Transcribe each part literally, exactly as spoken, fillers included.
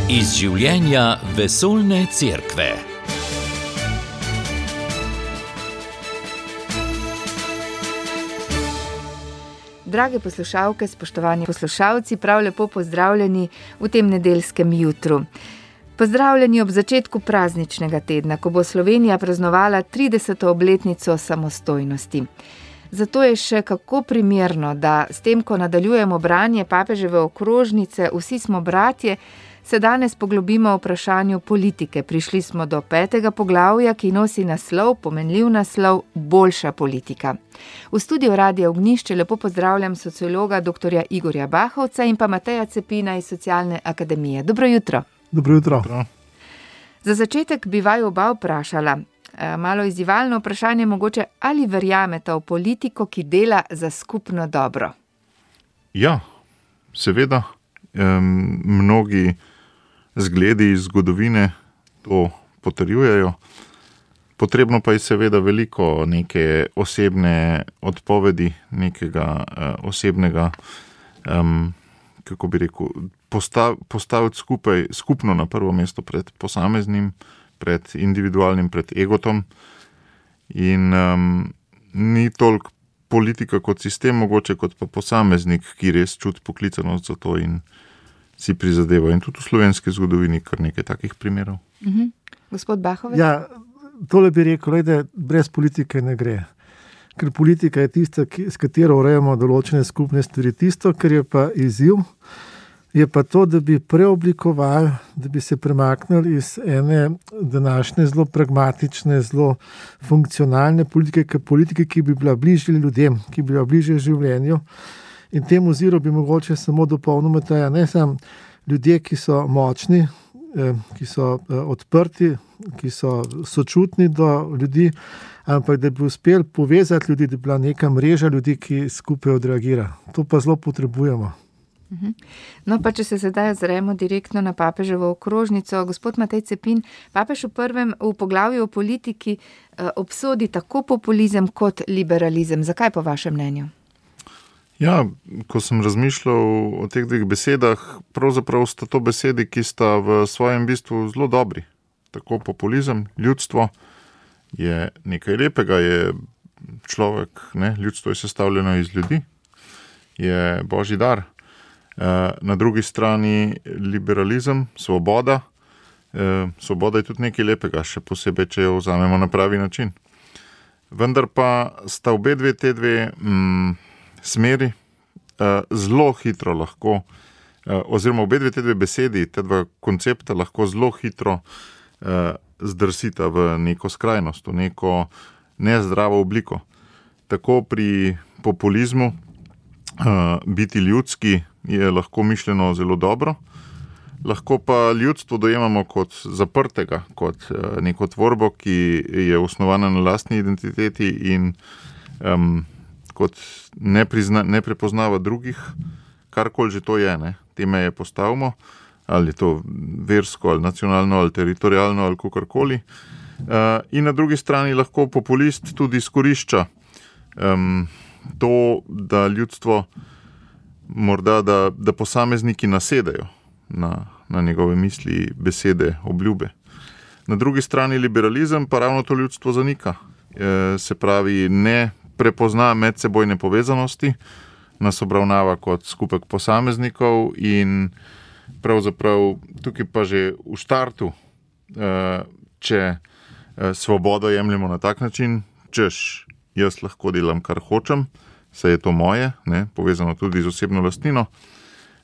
Iz življenja vesoljne cerkve. Drage poslušalke, spoštovani poslušalci, prav lepo pozdravljeni v tem nedeljskem jutru. Pozdravljeni ob začetku prazničnega tedna, ko bo Slovenija praznovala trideseto obletnico samostojnosti. Zato je še kako primerno, da s tem, ko nadaljujemo branje papeževe okrožnice Vsi smo bratje, se danes poglobimo v vprašanju politike. Prišli smo do petega poglavja, ki nosi naslov, pomenljiv naslov, Boljša politika. V studiu Radia Ognjišče lepo pozdravljam sociologa doktorja Igorja Bahovca in pa Mateja Cepina iz Socialne akademije. Dobro jutro. Dobro jutro. Za začetek bi vaju oba vprašala, malo izzivalno vprašanje mogoče, ali verjamete v politiko, ki dela za skupno dobro? Ja, seveda. Um, mnogi zgledi iz zgodovine to potrjujejo. Potrebno pa je seveda veliko neke osebne odpovedi, nekega uh, osebnega, um, kako bi rekel, postav, postaviti skupaj, skupno na prvo mesto pred posameznim, pred individualnim, pred egotom. In um, ni toliko politika kot sistem, mogoče kot pa posameznik, ki res čuti poklicanost za to in si prizadeva. In tudi v slovenski zgodovini kar nekaj takih primerov. Uh-huh. Gospod Bahovec? Ja, tole bi rekel, da brez politike ne gre. Ker politika je tista, ki, s katero urejamo določene skupne stvari. Tisto, kar je pa izziv, je pa to, da bi preoblikovali, da bi se premaknili iz ene današnje zelo pragmatične, zelo funkcionalne politike, politike, ki bi bila bližje ljudem, ki bi bila bližje življenju. In temu oziru bi mogoče samo dopolnimo taja, ne samo ljudje, ki so močni, ki so odprti, ki so sočutni do ljudi, ampak da bi uspeli povezati ljudi, da bi bila neka mreža ljudi, ki skupaj odreagira. To pa zelo potrebujemo. No, pa če se sedaj ozremo direktno na papeževo okrožnico, gospod Matej Cepin, papež v prvem v poglavju o politiki obsodi tako populizem kot liberalizem. Zakaj po vašem mnenju? Ja, ko sem razmišljal o teh dveh besedah, pravzaprav sta to besedi, ki sta v svojem bistvu zelo dobri. Tako populizem, ljudstvo je nekaj lepega, je človek, ne, ljudstvo je sestavljeno iz ljudi, je božji dar. Na drugi strani liberalizem, svoboda. Svoboda je tudi nekaj lepega, še posebej, če jo vzamemo na pravi način. Vendar pa sta obe dve te dve mm, smeri zelo hitro lahko, oziroma obe dve te dve besedi, te dva koncepta lahko zelo hitro zdrsita v neko skrajnost, v neko nezdravo obliko. Tako pri populizmu biti ljudski je lahko mišljeno zelo dobro, lahko pa ljudstvo dojemamo kot zaprtega, kot neko tvorbo, ki je osnovana na lastni identiteti in um, kot ne, prizna, ne prepoznava drugih, karkoli že to je, ne, te meje postavimo, ali je to versko, ali nacionalno, ali teritorijalno, ali kakorkoli. Uh, in na drugi strani lahko populist tudi izkorišča um, to, da ljudstvo morda, da, da posamezniki nasedajo na, na njegove misli, besede, obljube. Na drugi strani liberalizem pa ravno to ljudstvo zanika. E, se pravi, ne prepozna medsebojne povezanosti, nas obravnava kot skupek posameznikov in pravzaprav tukaj pa že v štartu, e, če e, svobodo jemljemo na tak način, češ, jaz lahko delam, kar hočem, saj je to moje, ne, povezano tudi z osebno lastnino.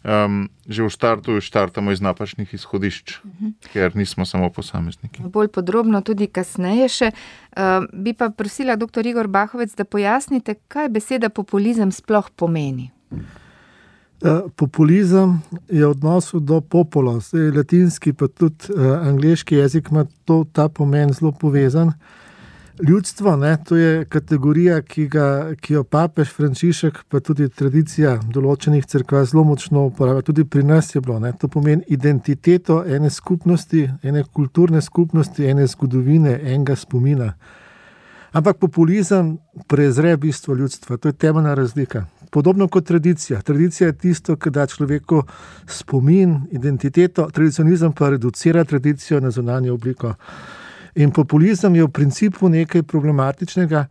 Um, že v štartu štartamo iz napačnih izhodišč, uh-huh. ker nismo samo posamezniki. Bolj podrobno tudi kasneje še. Uh, bi pa prosila doktor Igor Bahovec, da pojasnite, kaj beseda populizem sploh pomeni. Uh, populizem je v odnosu do popolo. Zdaj, latinski pa tudi uh, angleški jezik ima to, ta pomen zelo povezan. Ljudstvo, ne, to je kategorija, ki, ga, ki jo papež Frančišek, pa tudi tradicija določenih cerkva zelo močno uporablja. Tudi pri nas je bilo. Ne, to pomeni identiteto ene skupnosti, ene kulturne skupnosti, ene zgodovine, enega spomina. Ampak populizem prezre bistvo ljudstva, to je temeljna razlika. Podobno kot tradicija. Tradicija je tisto, ki da človeku spomin, identiteto, tradicionalizem pa reducira tradicijo na zunanjo obliko. In populizem je v principu nekaj problematičnega,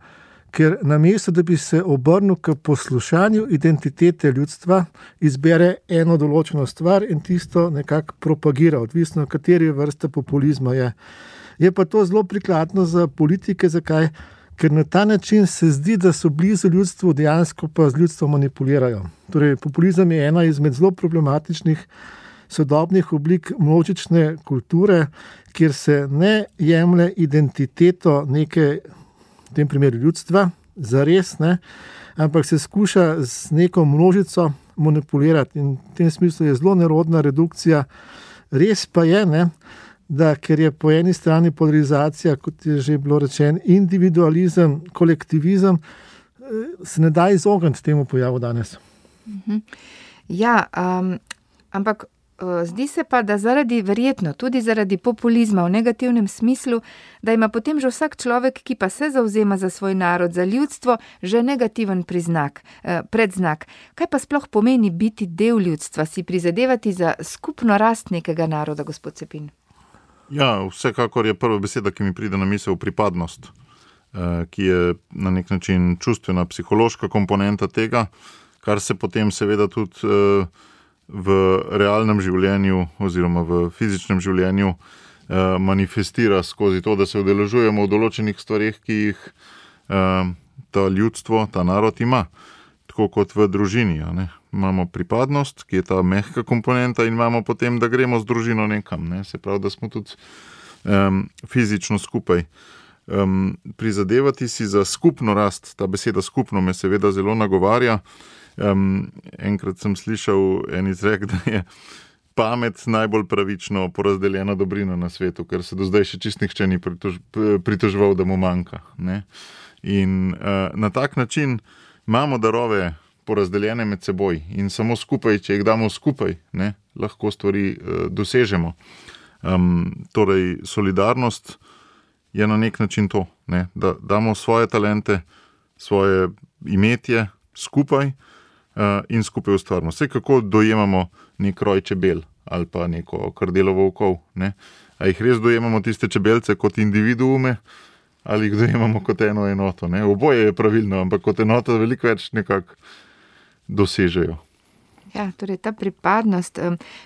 ker namesto, da bi se obrnil k poslušanju identitete ljudstva, izbere eno določeno stvar in tisto nekako propagira, odvisno kateri vrsta populizma je. Je pa to zelo prikladno za politike, zakaj? Ker na ta način se zdi, da so blizu ljudstvu, dejansko pa z ljudstvom manipulirajo. Torej, populizem je ena izmed zelo problematičnih sodobnih oblik množične kulture, kjer se ne jemlje identiteto neke, v tem primeru ljudstva, zares, ne, ampak se skuša z neko množico manipulirati. In v tem smislu je zelo nerodna redukcija. Res pa je, ne, da ker je po eni strani polarizacija, kot je že bilo rečeno, individualizem, kolektivizem, se ne da izogniti temu pojavu danes. Ja, um, ampak uh, zdi se pa, da zaradi, verjetno tudi zaradi populizma v negativnem smislu, da ima potem že vsak človek, ki pa se zavzema za svoj narod, za ljudstvo, že negativen priznak, uh, predznak. Kaj pa sploh pomeni biti del ljudstva, si prizadevati za skupno rast nekega naroda, gospod Cepin? Ja, vsekakor je prva beseda, ki mi pride na misel, pripadnost, ki je na nek način čustvena, psihološka komponenta tega, kar se potem seveda tudi v realnem življenju oziroma v fizičnem življenju manifestira skozi to, da se udeležujemo v določenih stvareh, ki jih ta ljudstvo, ta narod ima, tako kot v družini, a ne. Imamo pripadnost, ki je ta mehka komponenta, in imamo potem, da gremo z družino nekam, ne? Se pravi, da smo tudi um, fizično skupaj. Um, prizadevati si za skupno rast, ta beseda skupno me seveda zelo nagovarja. Um, enkrat sem slišal en izrek, da je pamet najbolj pravično porazdeljena dobrina na svetu, ker se do zdaj še čist nihče ni pritož, pritoževal, da mu manjka, ne? In uh, na tak način imamo darove porazdeljene med seboj in samo skupaj, če jih damo skupaj, ne, lahko stvari uh, dosežemo. Um, torej, solidarnost je na nek način to, ne, da damo svoje talente, svoje imetje skupaj uh, in skupaj ustvarimo. Vse kako dojemamo nek roj čebel ali pa neko krdelo volkov, ne. A jih res dojemamo tiste čebelce kot individuume ali jih dojemamo kot eno enoto, ne. Oboje je pravilno, ampak kot enota veliko več nekako dosežejo. Ja, torej ta pripadnost.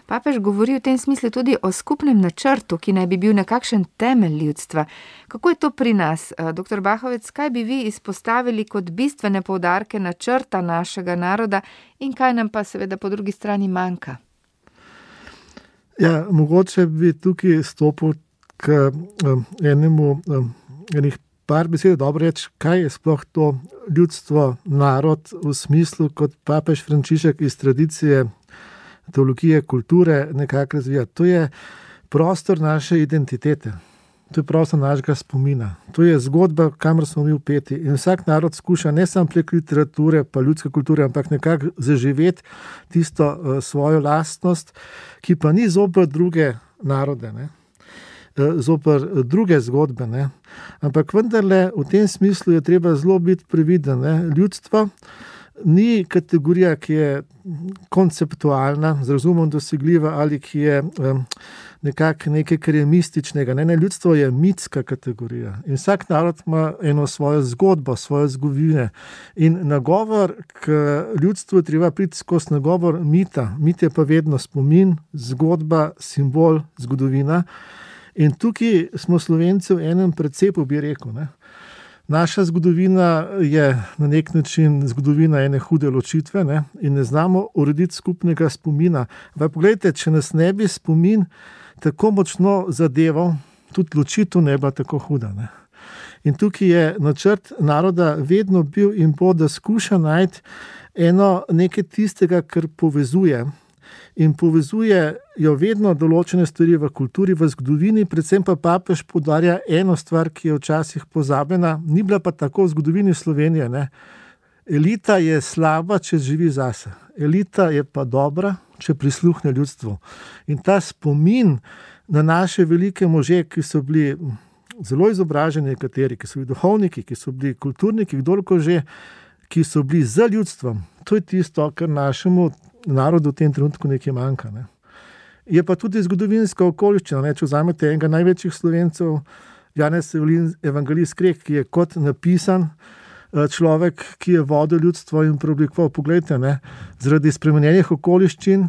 Papež govori v tem smislu tudi o skupnem načrtu, ki naj bi bil nekakšen temelj ljudstva. Kako je to pri nas? Doktor Bahovec, kaj bi vi izpostavili kot bistvene poudarke načrta našega naroda in kaj nam pa seveda po drugi strani manjka? Ja, mogoče bi tukaj stopil k um, enemu, um, enih par besed, dobro reči, kaj je sploh to ljudstvo, narod v smislu, kot papež Frančišek iz tradicije teologije, kulture nekako razvija. To je prostor naše identitete, to je prostor našega spomina, to je zgodba, kamor smo mi vpeti. In vsak narod skuša ne samo prek literature pa ljudske kulture, ampak nekako zaživeti tisto uh, svojo lastnost, ki pa ni zoper druge narode, ne? Zoper druge zgodbe, ne. Ampak vendarle v tem smislu je treba zelo biti previden, ne. Ljudstvo ni kategorija, ki je konceptualna, z razumom dosegljiva ali ki je um, nekako nekaj, kar je mističnega. Ne, ne, ljudstvo je mitska kategorija in vsak narod ima eno svojo zgodbo, svoje zgodovine. In nagovor k ljudstvu treba priti skozi nagovor mita. Mit je pa vedno spomin, zgodba, simbol, zgodovina. In tukaj smo Slovenci v enem precepu, bi rekel, ne. Naša zgodovina je na nek način zgodovina ene hude ločitve, ne, in ne znamo urediti skupnega spomina. Ampak pogledajte, če nas ne bi spomin tako močno zadeval, tudi ločitev ne bila tako huda, ne. In tukaj je načrt naroda vedno bil in bo, da skuša najti eno nekaj tistega, kar povezuje. In povezujejo vedno določene stvari v kulturi, v zgodovini, predvsem pa papež poudarja eno stvar, ki je včasih pozabljena, ni bila pa tako v zgodovini Slovenije, ne. Elita je slaba, če živi zase. Elita je pa dobra, če prisluhne ljudstvu. In ta spomin na naše velike može, ki so bili zelo izobraženi nekateri, ki so bili duhovniki, ki so bili kulturniki, kdorko že, ki so bili za ljudstvom. To je tisto, kar našemu narodu v tem trenutku nekaj manjka. Ne. Je pa tudi zgodovinska okoliščina. Ne. Če vzamete enega največjih Slovencev, Janez Evangelist Krek, ki je kot napisan človek, ki je vodil ljudstvo in preoblikoval. Poglejte, ne, zaradi spremenjenih okoliščin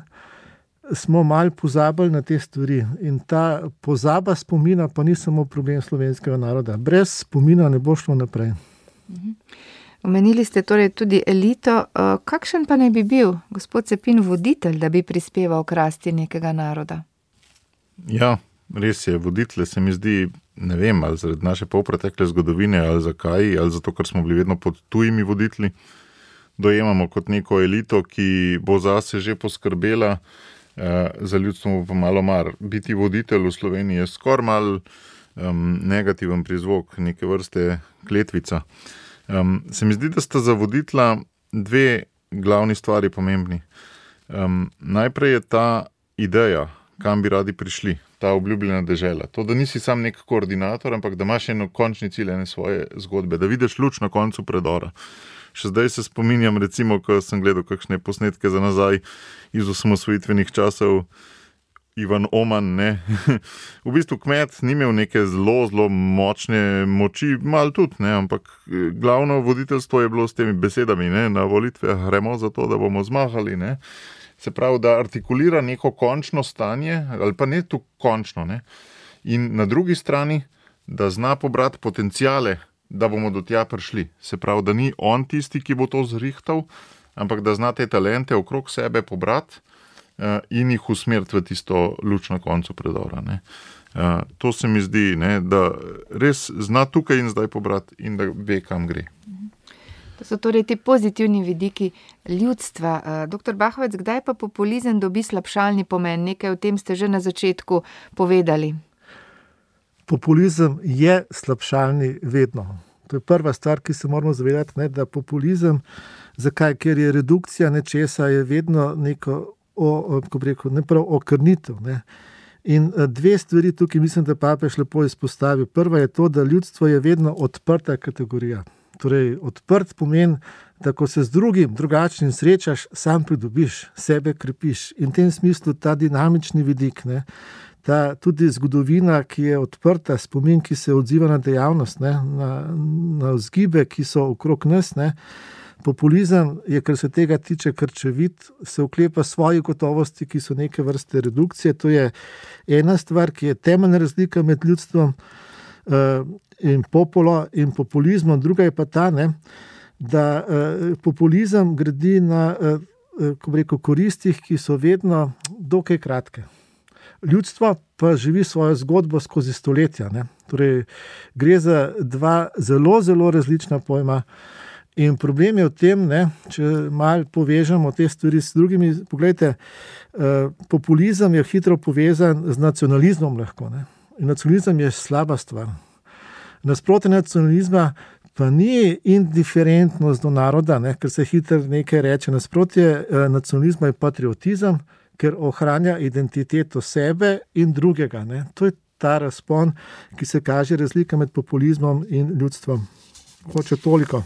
smo malo pozabili na te stvari. In ta pozaba spomina pa ni samo problem slovenskega naroda. Brez spomina ne bo šlo naprej. Omenili ste torej tudi elito. Kakšen pa naj bi bil gospod Cepin voditelj, da bi prispeval k rasti nekega naroda? Ja, res je. Voditelj se mi zdi, ne vem, ali zaradi naše polpretekle zgodovine, ali zakaj, ali zato, ker smo bili vedno pod tujimi voditelji, dojemamo kot neko elito, ki bo zase že poskrbela, eh, za ljudstvo pa malo mar. Biti voditelj v Sloveniji je skoraj mal um, negativen prizvok, neke vrste kletvica. Um, se mi zdi, da sta za voditla dve glavni stvari pomembni. Um, najprej je ta ideja, kam bi radi prišli, ta obljubljena dežela. To, da nisi sam nek koordinator, ampak da imaš eno končni cilj, ene svoje zgodbe, da vidiš luč na koncu predora. Še zdaj se spominjam, recimo, ko sem gledal kakšne posnetke za nazaj iz osamosvojitvenih časov, Ivan Oman, ne. V bistvu kmet ni imel neke zelo, zelo močne moči, malo tudi, ne, ampak glavno voditeljstvo je bilo s temi besedami, ne, na volitve gremo za to, da bomo zmagali, ne. Se pravi, da artikulira neko končno stanje, ali pa ne tu končno, ne. In na drugi strani, da zna pobrati potencijale, da bomo do tja prišli. Se pravi, da ni on tisti, ki bo to zrihtal, ampak da zna te talente okrog sebe pobrati in jih usmeriti v tisto luč na koncu predora. Ne. Uh, to se mi zdi, ne, da res zna tukaj in zdaj pobrati in da ve, kam gre. To so torej ti pozitivni vidiki ljudstva. Uh, doktor Bahovec, kdaj pa populizem dobi slabšalni pomen? Nekaj o tem ste že na začetku povedali. Populizem je slabšalni vedno. To je prva stvar, ki se moramo zavedati, ne, da populizem, zakaj? Ker je redukcija nečesa, je vedno neko O, ko bi rekel, ne prav okrnitev. Ne. In dve stvari tukaj mislim, da papež lepo izpostavi. Prva je to, da ljudstvo je vedno odprta kategorija. Torej, odprt pomeni, da ko se z drugim, drugačnim srečaš, sam pridobiš, sebe krepiš. In v tem smislu ta dinamični vidik, ne, ta tudi zgodovina, ki je odprta, spomin, ki se odziva na dejavnost, ne, na, na vzgibe, ki so okrog nas, ne. Populizem je, kar se tega tiče, krčevit, se oklepa svoje gotovosti, ki so neke vrste redukcije. To je ena stvar, ki je temeljna razlika med ljudstvom uh, in populo in populizmom. Druga je pa ta, ne, da uh, populizem gradi na uh, ko bi rekel, koristih, ki so vedno dokaj kratke. Ljudstvo pa živi svojo zgodbo skozi stoletja. Ne. Torej, gre za dva zelo, zelo različna pojma. In problem je v tem, ne, če malo povežemo te stvari s drugimi, poglejte, eh, populizem je hitro povezan z nacionalizmom lahko. Ne. In nacionalizem je slaba stvar. Nasprotje nacionalizma pa ni indiferentnost do naroda, ne, ker se hitro nekaj reče. Nasprotje eh, nacionalizma je patriotizem, ker ohranja identiteto sebe in drugega. Ne. To je ta razpon, ki se kaže razlika med populizmom in ljudstvom. Hoče toliko.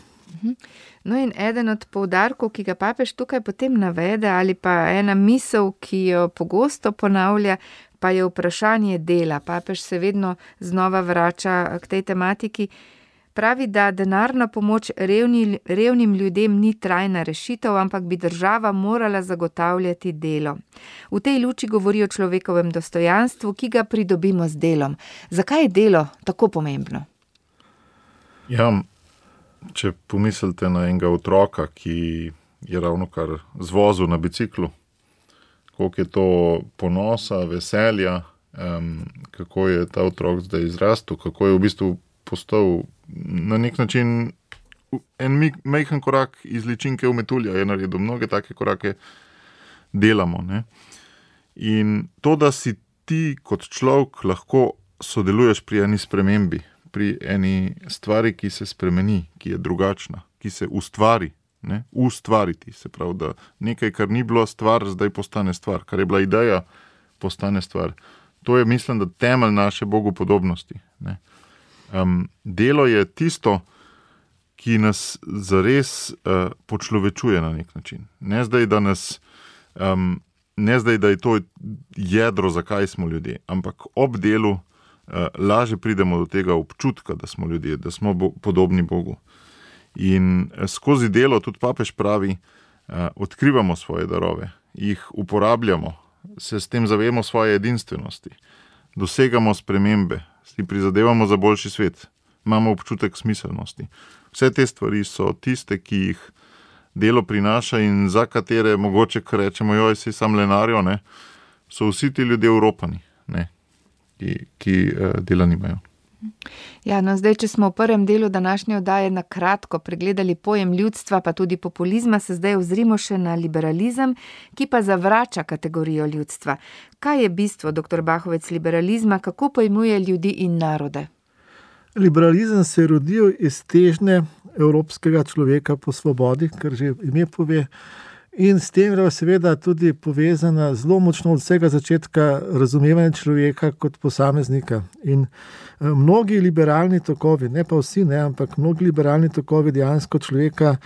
No in eden od poudarkov, ki ga papež tukaj potem navede, ali pa ena misel, ki jo pogosto ponavlja, pa je vprašanje dela. Papež se vedno znova vrača k tej tematiki. Pravi, da denarna pomoč revni, revnim ljudem ni trajna rešitev, ampak bi država morala zagotavljati delo. V tej luči govori o človekovem dostojanstvu, ki ga pridobimo z delom. Zakaj je delo tako pomembno? Ja, če pomislite na enega otroka, ki je ravno kar zvozil na biciklu, koliko je to ponosa, veselja, um, kako je ta otrok zdaj izrastel, kako je v bistvu postal na nek način en majhen korak iz ličinke v metulja, je naredil mnoge take korake, delamo. Ne? In to, da si ti kot človek lahko sodeluješ pri eni spremembi, pri eni stvari, ki se spremeni, ki je drugačna, ki se ustvari, ne? Ustvariti, se pravi, da nekaj, kar ni bilo stvar, zdaj postane stvar, kar je bila ideja, postane stvar. To je, mislim, da temelj naše bogopodobnosti. Ne? Um, delo je tisto, ki nas zares uh, počlovečuje na nek način. Ne zdaj, da nas, um, ne zdaj, da je to jedro, zakaj smo ljudje, ampak ob delu uh, lažje pridemo do tega občutka, da smo ljudje, da smo bo, podobni Bogu. In uh, skozi delo, tudi papež pravi, uh, odkrivamo svoje darove, jih uporabljamo, se s tem zavemo svoje edinstvenosti, dosegamo spremembe, si prizadevamo za boljši svet, imamo občutek smiselnosti. Vse te stvari so tiste, ki jih delo prinaša in za katere mogoče, ko rečemo, joj, si sam lenarjo, ne, so vsi ti ljudje Evropani, ne, ki, ki uh, dela nimajo. Ja, no zdaj, če smo v prvem delu današnje oddaje na kratko pregledali pojem ljudstva, pa tudi populizma, se zdaj ozrimo še na liberalizem, ki pa zavrača kategorijo ljudstva. Kaj je bistvo, doktor Bahovec, liberalizma, kako pojmuje ljudi in narode? Liberalizem se je rodil iz težnje evropskega človeka po svobodi, kar že ime pove, in s tem je seveda tudi povezana zelo močno od vsega začetka razumevanja človeka kot posameznika. In mnogi liberalni tokovi, ne pa vsi, ne, ampak mnogi liberalni tokovi dejansko človeka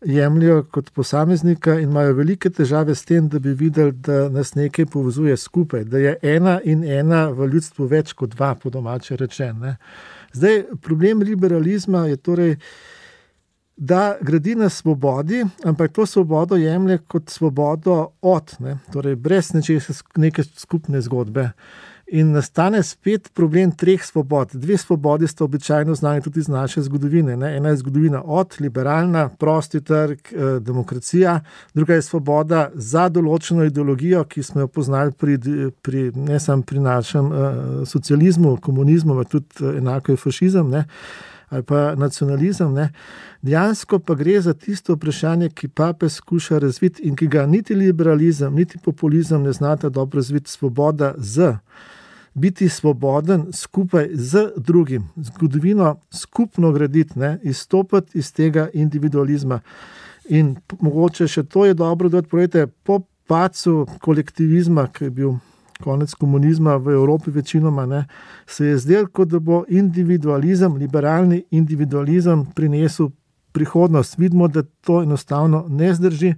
jemljajo kot posameznika in imajo velike težave s tem, da bi videli, da nas nekaj povezuje skupaj, da je ena in ena v ljudstvu več kot dva, po domače rečen. Ne. Zdaj, problem liberalizma je torej, da gradi na svobodi, ampak to svobodo jemlje kot svobodo od, ne, torej brez nečesa, neke skupne zgodbe. In nastane spet problem treh svobod. Dve svobodi sta običajno znani tudi iz naše zgodovine. Ne. Ena je zgodovina od, liberalna, prosti trg, eh, demokracija, druga je svoboda za določeno ideologijo, ki smo jo poznali pri, pri, ne samo pri našem eh, socializmu, komunizmu, ampak tudi eh, enako je fašizem, ne, ali pa nacionalizem. Ne. Dejansko pa gre za tisto vprašanje, ki papež skuša razviti in ki ga niti liberalizem, niti populizem ne znata dobro razviti, svoboda z. Biti svoboden skupaj z drugim, zgodovino skupno graditi, ne, izstopati iz tega individualizma. In mogoče še to je dobro, da odpovedete, po padcu kolektivizma, ki je bil konec komunizma v Evropi večinoma, ne, se je zdelo, kot da bo individualizem, liberalni individualizem prinesel prihodnost. Vidimo, da to enostavno ne zdrži,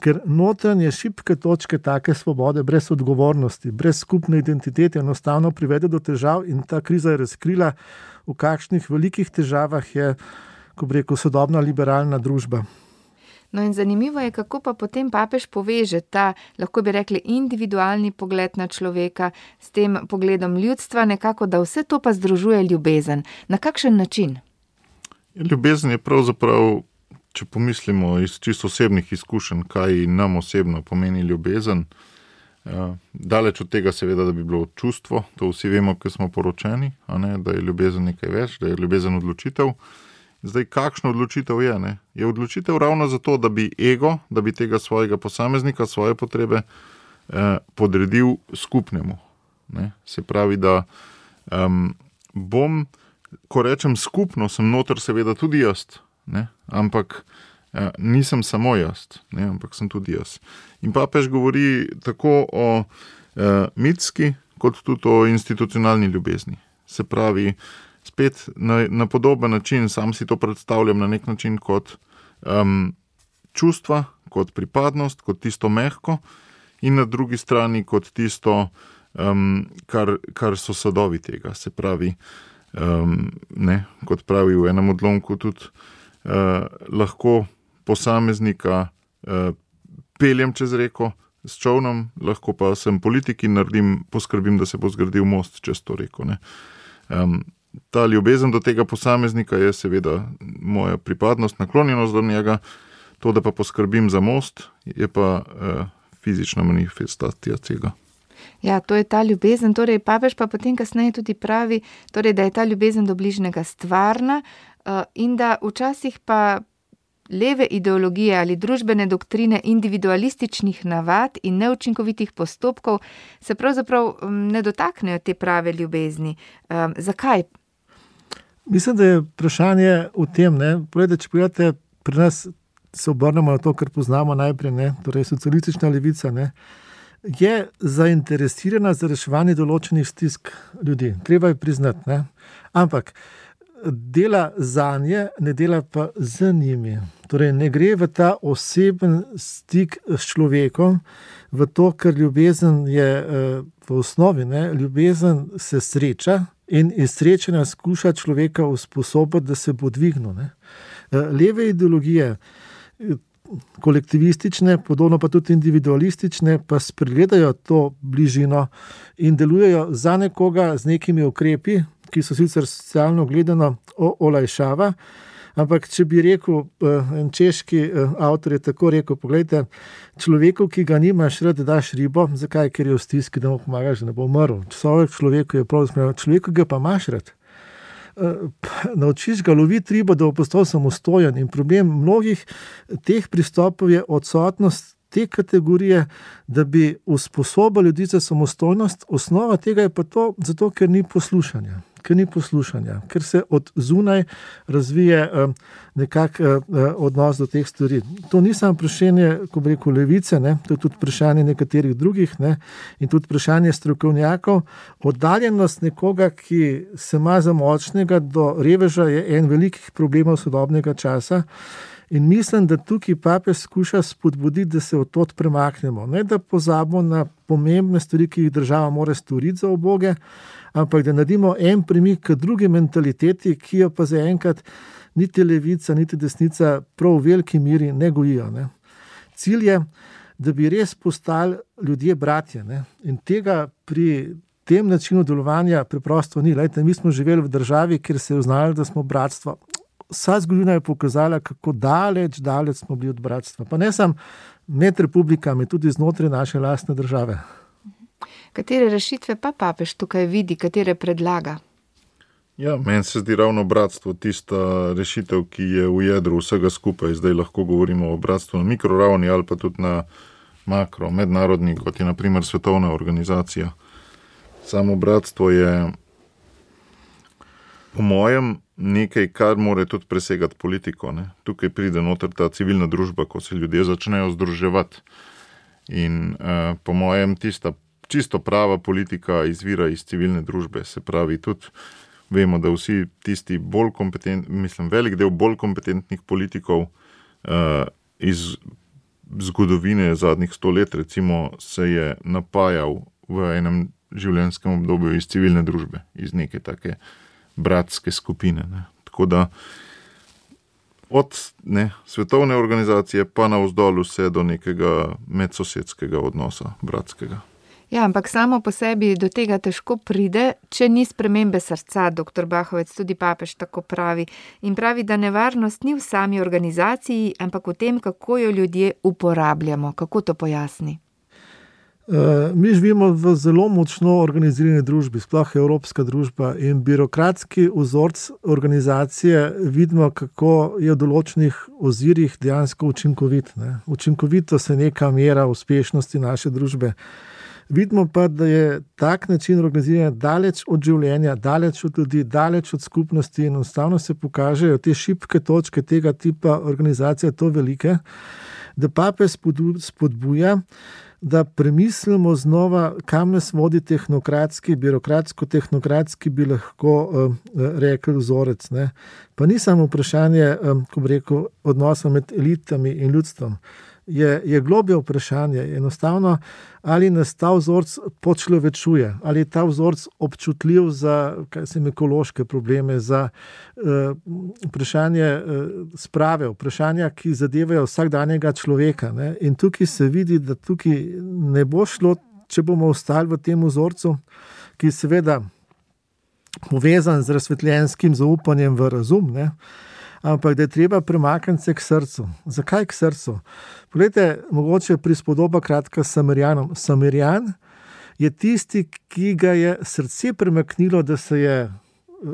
ker notranje šibke točke take svobode, brez odgovornosti, brez skupne identitete, enostavno privede do težav in ta kriza je razkrila, v kakšnih velikih težavah je, ko bi rekel, sodobna liberalna družba. No in zanimivo je, kako pa potem papež poveže ta, lahko bi rekli, individualni pogled na človeka s tem pogledom ljudstva, nekako, da vse to pa združuje ljubezen. Na kakšen način? Ljubezen je pravzaprav, če pomislimo iz čisto osebnih izkušenj, kaj nam osebno pomeni ljubezen, daleč od tega seveda, da bi bilo čustvo, to vsi vemo, ko smo poročeni, a ne, da je ljubezen nekaj več, da je ljubezen odločitev. Zdaj, kakšna odločitev je? Ne? Je odločitev ravno zato, da bi ego, da bi tega svojega posameznika, svoje potrebe eh, podredil skupnemu. Ne? Se pravi, da um, bom, ko rečem skupno, sem noter seveda tudi jaz, ne? Ampak eh, nisem samo jaz, ne? Ampak sem tudi jaz. In papež govori tako o eh, mitski, kot tudi o institucionalni ljubezni. Se pravi, spet na, na podoben način, sam si to predstavljam na nek način kot um, čustva, kot pripadnost, kot tisto mehko in na drugi strani kot tisto, um, kar, kar so sadovi tega. Se pravi, um, ne, kot pravi v enem odlomku tudi, uh, lahko posameznika uh, peljem čez reko s čovnom, lahko pa sem politik in naredim, poskrbim, da se bo zgradil most čez to reko. Ne. Um, Ta ljubezen do tega posameznika je seveda moja pripadnost, naklonjenost do njega, to, da pa poskrbim za most, je pa uh, fizična manifestacija tega. Ja, to je ta ljubezen, torej papež pa potem kasneje tudi pravi, torej, da je ta ljubezen do bližnjega stvarna uh, in da včasih pa leve ideologije ali družbene doktrine individualističnih navad in neučinkovitih postopkov se pravzaprav ne dotaknejo te prave ljubezni. Um, zakaj? Mislim, da je vprašanje v tem, ne, Poglede, če pogledate, pri nas se obrnemo na to, kar poznamo najprej, ne, torej socialistična levica, ne, je zainteresirana za reševanje določenih stisk ljudi. Treba je priznati, ne. Ampak dela zanje, ne dela pa z njimi. Torej, ne gre v ta oseben stik s človekom, v to, ker ljubezen je v osnovi, ne, ljubezen se sreča in iz srečanja skuša človeka usposobiti, da se bo dvignil. Ne. Leve ideologije, kolektivistične, podobno pa tudi individualistične, pa spregledajo to bližino in delujejo za nekoga z nekimi ukrepi, ki so sicer socialno gledano olajšava, ampak če bi rekel, en češki avtor je tako rekel, poglejte, človeku, ki ga nimaš rad, daš ribo, zakaj? Ker je v stiski, da mu pomagaš, da ne bo umrl. Človeku je prav zasmejal, človeku ga pa imaš rad. Naučiš ga loviti ribo, da bo postal samostojen, in problem mnogih teh pristopov je odsotnost te kategorije, da bi usposobili ljudi za samostojnost. Osnova tega je pa to, zato ker ni poslušanja. Ker ni poslušanja, ker se od zunaj razvije uh, nekak uh, odnos do teh stvari. To ni samo vprašanje, ko bi rekel, levice, ne? To je tudi vprašanje nekaterih drugih, ne? In tudi vprašanje strokovnjakov. Oddaljenost nekoga, ki se ima za močnega, do reveža je en velikih problemov sodobnega časa. In mislim, da tukaj papež skuša spodbuditi, da se od tod premaknemo. Ne da pozabimo na pomembne stvari, ki jih država mora storiti za uboge, ampak da naredimo en premik k drugi mentaliteti, ki jo pa zaenkrat niti levica, niti desnica prav v veliki miri ne gojijo. Ne. Cilj je, da bi res postali ljudje bratje. Ne. In tega pri tem načinu delovanja preprosto ni. Lejte, mi smo živeli v državi, kjer se je uznalo, da smo bratstvo. Vsa zgodovina je pokazala, kako daleč, daleč smo bili od bratstva. Pa ne samo med republikami, tudi znotraj naše lastne države. Katere rešitve pa papež tukaj vidi, katere predlaga? Ja, meni se zdi ravno bratstvo tista rešitev, ki je v jedru vsega skupaj. Zdaj lahko govorimo o bratstvu na mikroravni ali pa tudi na makro, mednarodni, kot je na primer svetovna organizacija. Samo bratstvo je po mojem nekaj, kar mora tudi presegati politiko. Ne. Tukaj pride noter ta civilna družba, ko se ljudje začnejo združevati. In uh, po mojem tista čisto prava politika izvira iz civilne družbe. Se pravi, tudi vemo, da vsi tisti bolj kompetentni, mislim, velik del bolj kompetentnih politikov uh, iz zgodovine zadnjih sto let, recimo, se je napajal v enem življenjskem obdobju iz civilne družbe, iz neke take bratske skupine. Ne. Tako da od ne, svetovne organizacije pa navzdol vse do nekega medsosedskega odnosa, bratskega. Ja, ampak samo po sebi do tega težko pride, če ni spremembe srca, doktor Bahovec, tudi papež tako pravi. In pravi, da nevarnost ni v sami organizaciji, ampak v tem, kako jo ljudje uporabljamo. Kako to pojasni? Mi živimo v zelo močno organizirani družbi, sploh evropska družba, in birokratski vzorc organizacije vidimo, kako je v določenih ozirih dejansko učinkovit. Ne? Učinkovito se neka mera uspešnosti naše družbe. Vidimo pa, da je tak način organiziranja daleč od življenja, daleč od ljudi, daleč od skupnosti, in enostavno se pokažejo te šibke točke tega tipa organizacije, to velike, da papež spodbuja, da premislimo znova, kam nas vodi tehnokratski, birokratsko-tehnokratski, bi lahko uh, rekel, vzorec. Ne? Pa ni samo vprašanje, um, ko bi rekel, odnosa med elitami in ljudstvom. Je, je globje vprašanje, enostavno, ali nas ta vzorc počlovečuje, ali je ta vzorc občutljiv za kaj sem, ekološke probleme, za uh, vprašanje uh, sprave, vprašanja, ki zadevajo vsakdanjega človeka. Ne? In tukaj se vidi, da tukaj ne bo šlo, če bomo ostali v tem vzorcu, ki je seveda povezan z razsvetljenskim zaupanjem v razum, ne? Ampak da je treba premakniti se k srcu. Zakaj k srcu? Poglejte, mogoče prispodoba kratka s Samarjanom. Samarjan je tisti, ki ga je srce premaknilo, da se je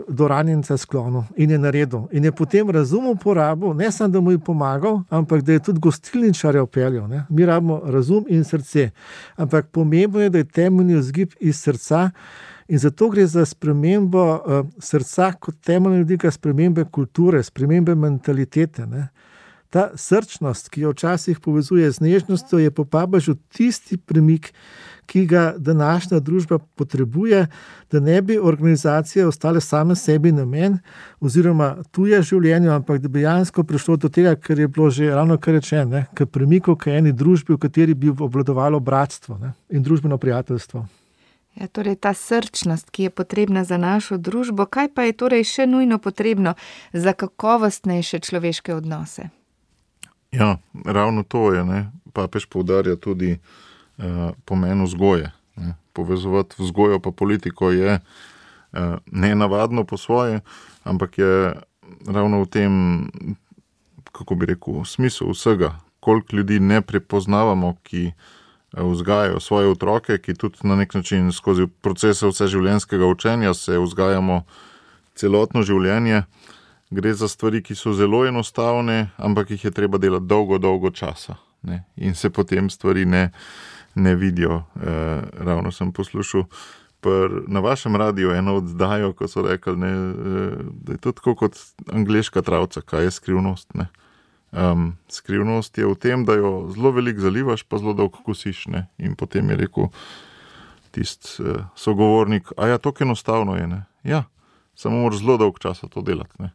do ranjenca sklonil in je naredil. In je potem razum uporabil, ne samo, da mu je pomagal, ampak da je tudi gostilničarja vpeljal. Ne? Mi rabimo razum in srce. Ampak pomembno je, da je temeljni vzgib iz srca. In zato gre za spremembo uh, srca kot temeljnega vidika, spremembe kulture, spremembe mentalitete. Ne? Ta srčnost, ki jo včasih povezuje z nežnostjo, je po papežu tisti premik, ki ga današnja družba potrebuje, da ne bi organizacije ostale same sebi namen oziroma tuje življenju, ampak da bi dejansko prišlo do tega, kar je bilo že ravno kar rečeno, k premiku k eni družbi, v kateri bi obvladovalo bratstvo, ne, in družbeno prijateljstvo. Ja, torej ta srčnost, ki je potrebna za našo družbo, kaj pa je torej še nujno potrebno za kakovostnejše človeške odnose? Ja, ravno to je, ne. Papež poudarja tudi uh, pomen vzgoje. Ne. Povezovati vzgojo pa politiko je uh, nenavadno po svoje, ampak je ravno v tem, kako bi rekel, smisel vsega, koliko ljudi ne prepoznavamo, ki vzgajajo svoje otroke, ki tudi na nek način skozi procese vseživljenjskega učenja se vzgajamo celotno življenje. Gre za stvari, ki so zelo enostavne, ampak jih je treba delati dolgo, dolgo časa. Ne? In se potem stvari ne, ne vidijo. E, ravno sem poslušal pr, na vašem radiju eno oddajo, ko so rekli, ne, da je to tako kot angleška travca, kaj je skrivnost. Ne? Um, skrivnost je v tem, da jo zelo veliko zalivaš, pa zelo dolgo kosiš. Ne? In potem je rekel tist uh, sogovornik, a ja, to enostavno je. Ne? Ja, samo moraš zelo dolgo časa to delati. Ne?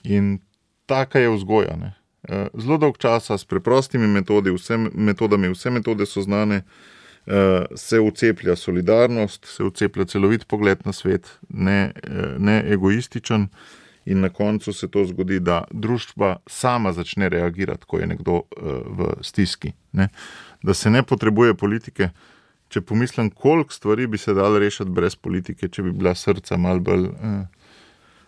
In taka je vzgoja. Ne? Uh, zelo dolgo časa s preprostimi metodi, vse metodami, vse metode so znane, uh, se uceplja solidarnost, se uceplja celovit pogled na svet, ne, uh, ne egoističen. In na koncu se to zgodi, da družba sama začne reagirati, ko je nekdo uh, v stiski. Ne? Da se ne potrebuje politike. Če pomislim, koliko stvari bi se dalo rešiti brez politike, če bi bila srca malo bolj, uh,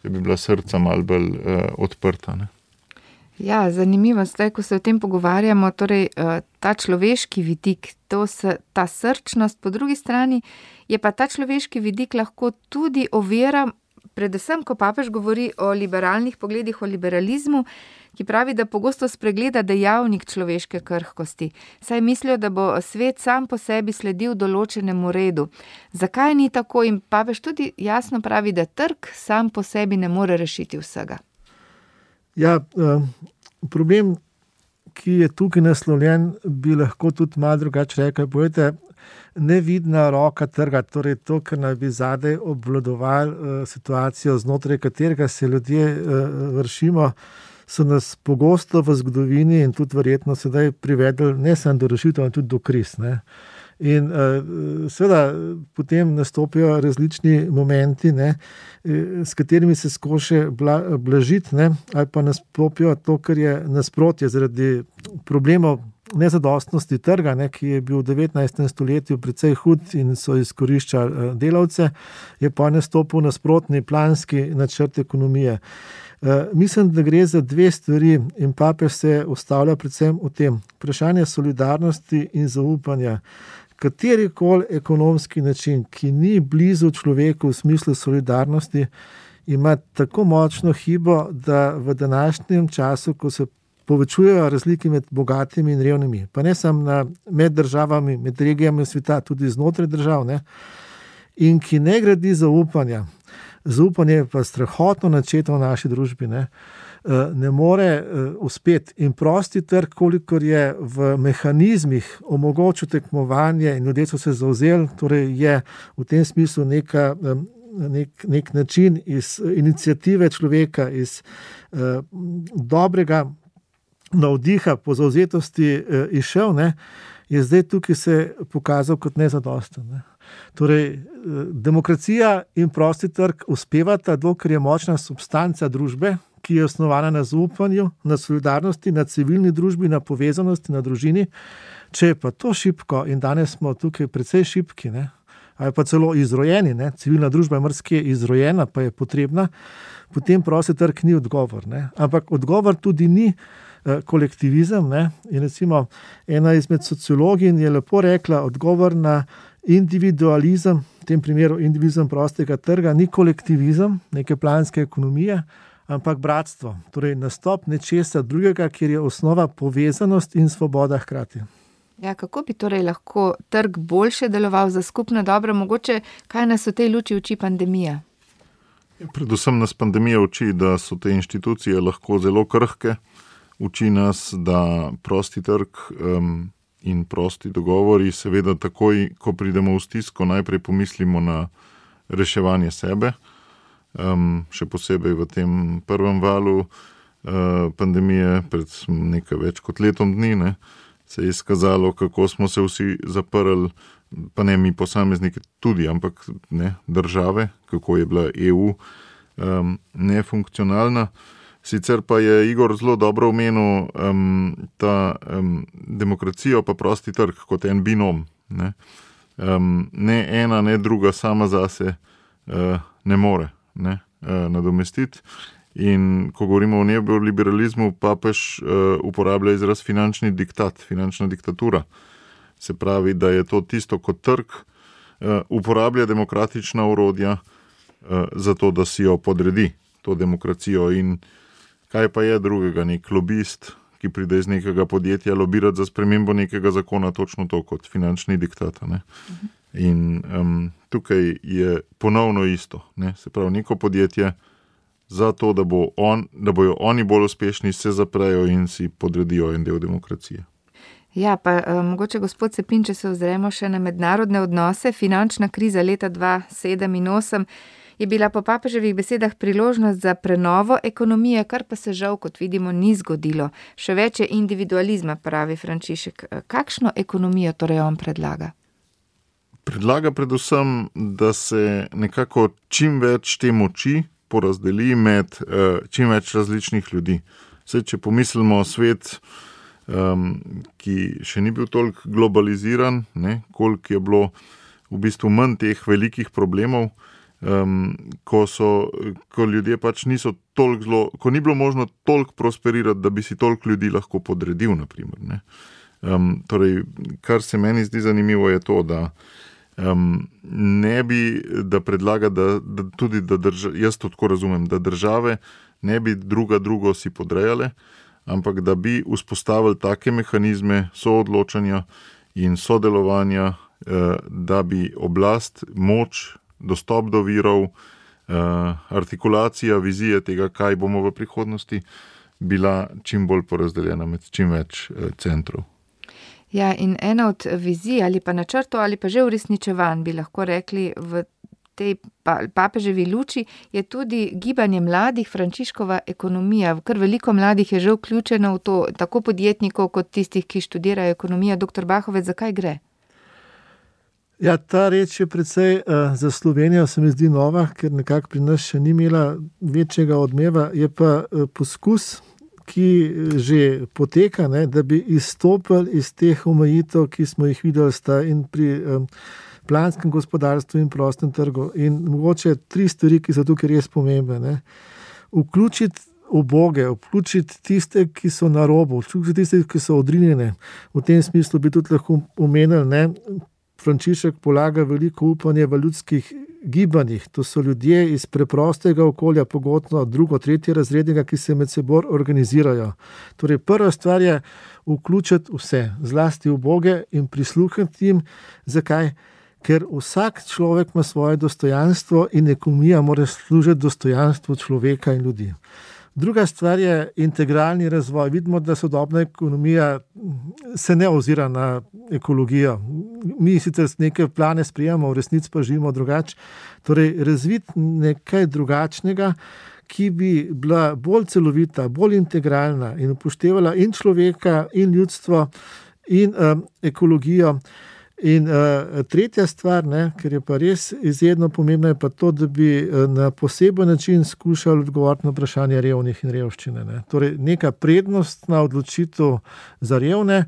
če bi bila srca malo bolj uh, odprta. Ne? Ja, zanimivo, zdaj, ko se o tem pogovarjamo, torej uh, ta človeški vidik, to se, ta srčnost, po drugi strani je pa ta človeški vidik lahko tudi ovira, predvsem, ko papež govori o liberalnih pogledih, o liberalizmu, ki pravi, da pogosto spregleda dejavnik človeške krhkosti. Saj mislijo, da bo svet sam po sebi sledil določenemu redu. Zakaj ni tako? In papež tudi jasno pravi, da trg sam po sebi ne more rešiti vsega. Ja, problem, ki je tukaj naslovljen, bi lahko tudi malo drugače rekel. Povejte, nevidna roka trga, torej to, kar naj bi zadaj obvladoval uh, situacijo, znotraj katerega se ljudje uh, vršimo, so nas pogosto v zgodovini in tudi verjetno sedaj privedli ne samo do rešitev, ampak tudi do kriz. Ne? In uh, seveda potem nastopijo različni momenti, ne, s katerimi se skoše bla, blažiti, ne, ali pa nastopijo to, kar je nasprotje zaradi problemov nezadostnosti trga, ne, ki je bil v devetnajstem stoletju precej hud in so izkoriščali delavce, je pa nastopil nasprotni planski načrt ekonomije. Uh, mislim, da gre za dve stvari in papež se ustavlja predvsem v tem. Vprašanje solidarnosti in zaupanja. Katerikoli ekonomski način, ki ni blizu človeku v smislu solidarnosti, ima tako močno hibo, da v današnjem času, ko se povečujejo razlike med bogatimi in revnimi, pa ne samo na, med državami, med regijami sveta, tudi znotraj držav, ne, in ki ne gradi zaupanja. Zaupanje je pa strahotno načeto v naši družbi, ne, ne more uspeti. In prosti trg, kolikor je v mehanizmih omogočil tekmovanje in ljudje so se zavzeli, torej je v tem smislu neka, nek, nek način iz iniciative človeka, iz eh, dobrega navdiha po zavzetosti eh, izšel, ne, je zdaj tukaj se pokazal kot nezadosten. Ne. Torej, eh, demokracija in prosti trg uspevata, dokler je močna substanca družbe, ki je osnovana na zaupanju, na solidarnosti, na civilni družbi, na povezanosti, na družini. Če je pa to šibko, in danes smo tukaj precej šibki, ne, ali pa celo izrojeni, ne, civilna družba je marsikje izrojena, pa je potrebna, potem prosti trg ni odgovor. Ne. Ampak odgovor tudi ni eh, kolektivizem. Ne. In recimo ena izmed sociologin je lepo rekla, odgovor na individualizem, v tem primeru individualizem prostega trga, ni kolektivizem, neke planske ekonomije, ampak bratstvo. Torej nastop nečesa drugega, kjer je osnova povezanost in svoboda hkrati. Ja, kako bi torej lahko trg boljše deloval za skupno dobro? Mogoče, kaj nas v tej luči uči pandemija? Predvsem nas pandemija uči, da so te inštitucije lahko zelo krhke, Uči nas, da prosti trg um, in prosti dogovori, seveda takoj, ko pridemo v stisko, najprej pomislimo na reševanje sebe, um, še posebej v tem prvem valu uh, pandemije, pred nekaj več kot letom dni, ne, se je izkazalo, kako smo se vsi zaprli, pa ne mi posamezniki tudi, ampak ne države, kako je bila E U um, nefunkcionalna. Sicer pa je Igor zelo dobro omenil um, ta um, demokracijo pa prosti trg kot en binom. Ne, um, ne ena, ne druga sama zase uh, ne more ne, uh, nadomestiti. In ko govorimo o neoliberalizmu, papež uh, uporablja izraz finančni diktat, finančna diktatura. Se pravi, da je to tisto, kot trg uh, uporablja demokratična orodja uh, za to, da si jo podredi, to demokracijo. In kaj pa je drugega, nek lobist, ki pride iz nekega podjetja lobirati za spremembo nekega zakona, točno to kot finančni diktat. Ne? Uh-huh. In um, tukaj je ponovno isto. Ne? Se pravi, neko podjetje za to, da, bo on, da bojo oni bolj uspešni, se zaprejo in si podredijo en del demokracije. Ja, pa um, mogoče gospod Cepin, če se ozremo še na mednarodne odnose, finančna kriza leta dva sedem in osem je bila po papeževih besedah priložnost za prenovo ekonomije, kar pa se žal, kot vidimo, ni zgodilo. Še več je individualizma, pravi Frančišek. Kakšno ekonomijo torej on predlaga? Predlaga predvsem, da se nekako čim več te moči porazdeli med uh, čim več različnih ljudi. Zdaj, če pomislimo svet, um, ki še ni bil toliko globaliziran, ne, koliko je bilo v bistvu manj teh velikih problemov, um, ko, so, ko ljudje pač niso toliko zelo, ko ni bilo možno toliko prosperirati, da bi si toliko ljudi lahko podredil, naprimer. Ne. Um, torej, kar se meni zdi zanimivo je to, da Um, ne bi, da predlaga, da, da tudi, da drža, jaz to tako razumem, da države ne bi druga drugo si podrejale, ampak da bi vzpostavili take mehanizme soodločanja in sodelovanja, eh, da bi oblast, moč, dostop do virov, eh, artikulacija, vizije tega, kaj bomo v prihodnosti, bila čim bolj porazdeljena med čim več eh, centrov. Ja, in ena od vizij ali pa načrtov ali pa že uresničevanj, bi lahko rekli, v tej papeževi luči je tudi gibanje mladih, Frančiškova ekonomija. Kar veliko mladih je že vključeno v to, tako podjetnikov kot tistih, ki študirajo ekonomijo. Doktor Bahovec, zakaj gre? Ja, ta reč je precej uh, za Slovenijo, se mi zdi nova, ker nekako pri nas še ni imela večjega odmeva. Je pa uh, poskus, ki že poteka, ne, da bi izstopili iz teh omejitev, ki smo jih videli sta in pri um, planskem gospodarstvu in prostem trgu. In mogoče tri stvari, ki so tukaj res pomembne. Ne. Vključiti uboge, vključiti tiste, ki so na robu, vključiti tiste, ki so odrinjene. V tem smislu bi tudi lahko omenili, ne, Frančišek polaga veliko upanje v ljudskih gibanjih. To so ljudje iz preprostega okolja, pogosto drugo, tretje razrednega, ki se med seboj organizirajo. Torej, prva stvar je vključiti vse, zlasti uboge in prisluhniti jim. Zakaj? Ker vsak človek ima svoje dostojanstvo in ekonomija mora služiti dostojanstvu človeka in ljudi. Druga stvar je integralni razvoj. Vidimo, da sodobna ekonomija se ne ozira na ekologijo. Mi sicer neke plane sprejemamo, v resnici pa živimo drugače. Torej, razviti nekaj drugačnega, ki bi bila bolj celovita, bolj integralna in upoštevala in človeka, in ljudstvo, in um, ekologijo. In uh, tretja stvar, ne, ker je pa res izjedno pomembno, je pa to, da bi uh, na poseben način skušali odgovoriti na vprašanje revnih in revščine. Ne. Torej, neka prednostna odločitev za revne,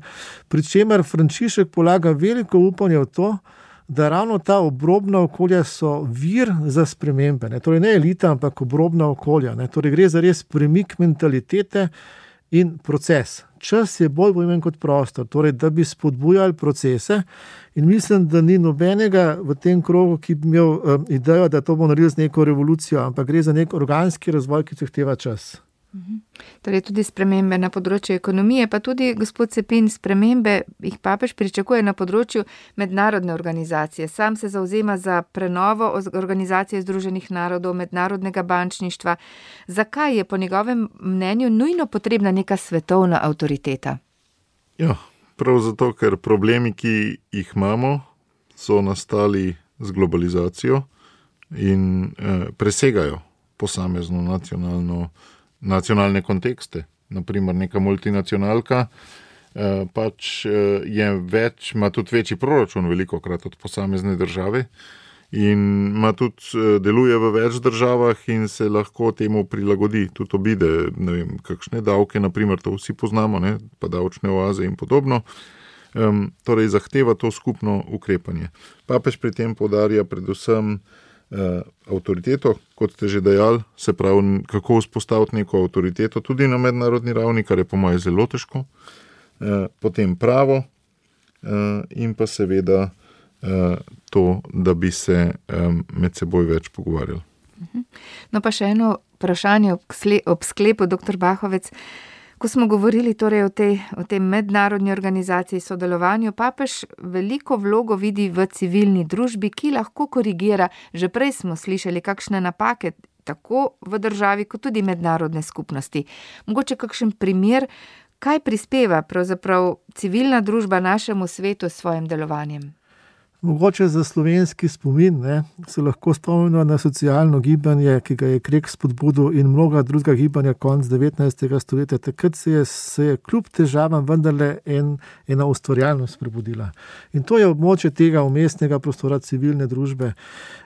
pri čemer Frančišek polaga veliko upanje v to, da ravno ta obrobna okolja so vir za spremembe. Ne. Torej, ne elita, ampak obrobna okolja. Ne. Torej, gre za res premik mentalitete in proces. Čas je bolj pomemben kot prostor, torej, da bi spodbujali procese in mislim, da ni nobenega v tem krogu, ki bi imel um, idejo, da to bo naredil z neko revolucijo, ampak gre za nek organski razvoj, ki zahteva čas. Torej tudi spremembe na področju ekonomije, pa tudi, gospod Cepin, spremembe jih papež pričakuje na področju mednarodne organizacije. Sam se zavzema za prenovo Organizacije združenih narodov, mednarodnega bančništva. Zakaj je po njegovem mnenju nujno potrebna neka svetovna avtoriteta? Ja, prav zato, ker problemi, ki jih imamo, so nastali z globalizacijo in eh, presegajo posamezno nacionalno nacionalne kontekste. Naprimer, neka multinacionalka eh, pač eh, je več, ima tudi večji proračun velikokrat od posamezne države in ima tudi, eh, deluje v več državah in se lahko temu prilagodi, tudi obide, ne vem, kakšne davke, naprimer, to vsi poznamo, ne, pa davčne oaze in podobno. Um, torej, zahteva to skupno ukrepanje. Papež pri tem poudarja predvsem Uh, avtoriteto, kot ste že dejali, se pravi, kako vzpostaviti neko avtoriteto tudi na mednarodni ravni, kar je po mojem zelo težko, uh, potem pravo uh, in pa seveda uh, to, da bi se um, med seboj več pogovarjali. No pa še eno vprašanje ob sklepu, doktor Bahovec. Ko smo govorili torej o tej, o tej mednarodni organizaciji sodelovanju, papež veliko vlogo vidi v civilni družbi, ki lahko korigira, že prej smo slišali kakšne napake, tako v državi, kot tudi mednarodne skupnosti. Mogoče kakšen primer, kaj prispeva pravzaprav civilna družba našemu svetu s svojim delovanjem? Mogoče za slovenski spomin, ne, se lahko spomnimo na socialno gibanje, ki ga je Krek spodbudil in mnoga druga gibanja konec devetnajstega stoletja. Takrat se je, se je kljub težavam vendarle en, ena ustvarjalnost prebudila. In to je območje tega umestnega prostora civilne družbe.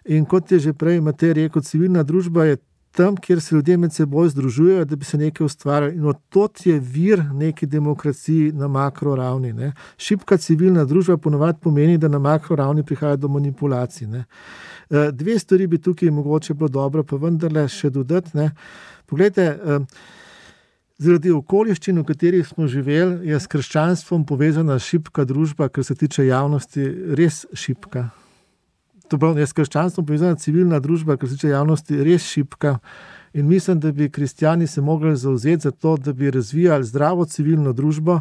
In kot je že prej Matej rekel, civilna družba je tam, kjer se ljudje med seboj združujejo, da bi se nekaj ustvarjali. In odtot je vir neki demokraciji na makroravni. Ne. Šibka civilna družba ponovadi pomeni, da na makroravni prihaja do manipulacij. Ne. Dve stvari bi tukaj mogoče bilo dobro, pa vendarle še dodati. Ne. Poglejte, zaradi okoliščin, v katerih smo živeli, je s krščanstvom povezana šibka družba, kar se tiče javnosti, res šibka. To pravi, je s krščanstvom povezana civilna družba, kar se tiče javnosti, res šibka. In mislim, da bi kristjani se mogli zavzeti za to, da bi razvijali zdravo civilno družbo.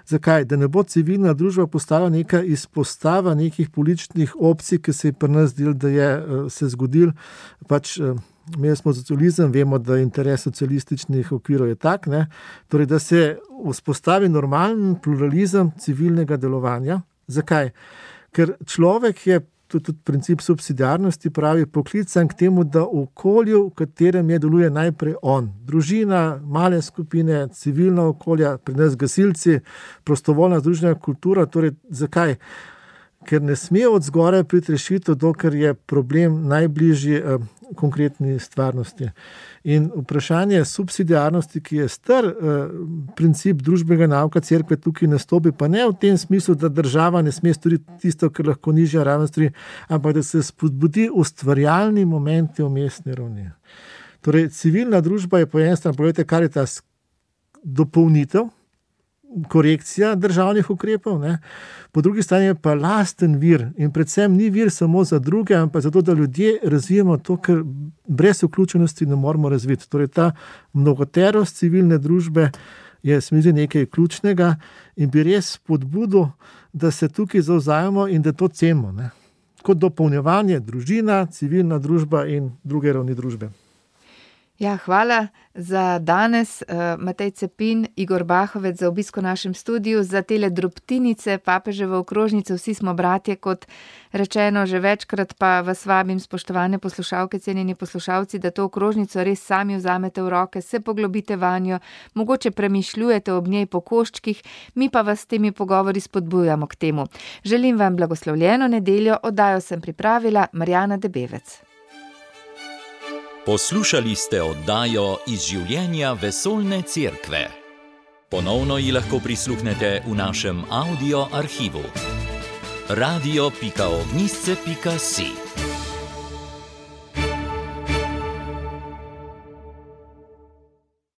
Zakaj? Da ne bo civilna družba postala neka izpostava nekih političnih opcij, ki se je pri nas zdelo, da je se zgodil. Pač, imeli smo socializem, vemo, da interes socialističnih okvirov je tak, ne? Torej, da se vzpostavi normalen pluralizem civilnega delovanja. Zakaj? Ker človek je, to je tudi princip subsidiarnosti, pravi, poklican k temu, da v okolju, v katerem je, deluje najprej on. Družina, male skupine, civilna okolja, pri nas gasilci, prostovoljna združena kultura. Torej, zakaj? Ker ne sme od zgoraj priti rešitev, dokler je problem najbližji eh, konkretni stvarnosti. In vprašanje subsidiarnosti, ki je star eh, princip družbenega nauka cerkve, tukaj nastopi, pa ne v tem smislu, da država ne sme storiti tisto, kar lahko nižja raven stori, ampak da se spodbudi ustvarjalni momenti vmesne ravni. Torej, civilna družba je po eni strani, pogledajte, kar je ta dopolnitev, korekcija državnih ukrepov, ne? Po drugi strani je pa lasten vir in predvsem ni vir samo za druge, ampak zato, da ljudje razvijemo to, kar brez vključenosti ne moramo razviti. Torej, ta mnogoterost civilne družbe je smisel nekaj ključnega in bi res spodbudil, da se tukaj zavzajemo in da to cenimo, ne? Kot dopolnjevanje družina, civilna družba in druge ravni družbe. Ja, hvala za danes, Matej Cepin, Igor Bahovec, za obisko v našem studiu, za tele drobtinice papeževe okrožnice. Vsi smo bratje, kot rečeno že večkrat, pa vas vabim, spoštovane poslušalke, cenjeni poslušalci, da to okrožnico res sami vzamete v roke, se poglobite vanjo, mogoče premišljujete ob njej po koščkih, mi pa vas s temi pogovori spodbujamo k temu. Želim vam blagoslovljeno nedeljo, oddajo sem pripravila Marjana Debevec. Poslušali ste oddajo Iz življenja vesoljne cerkve. Ponovno ji lahko prisluhnete v našem audio arhivu. radio pika ognjišče pika si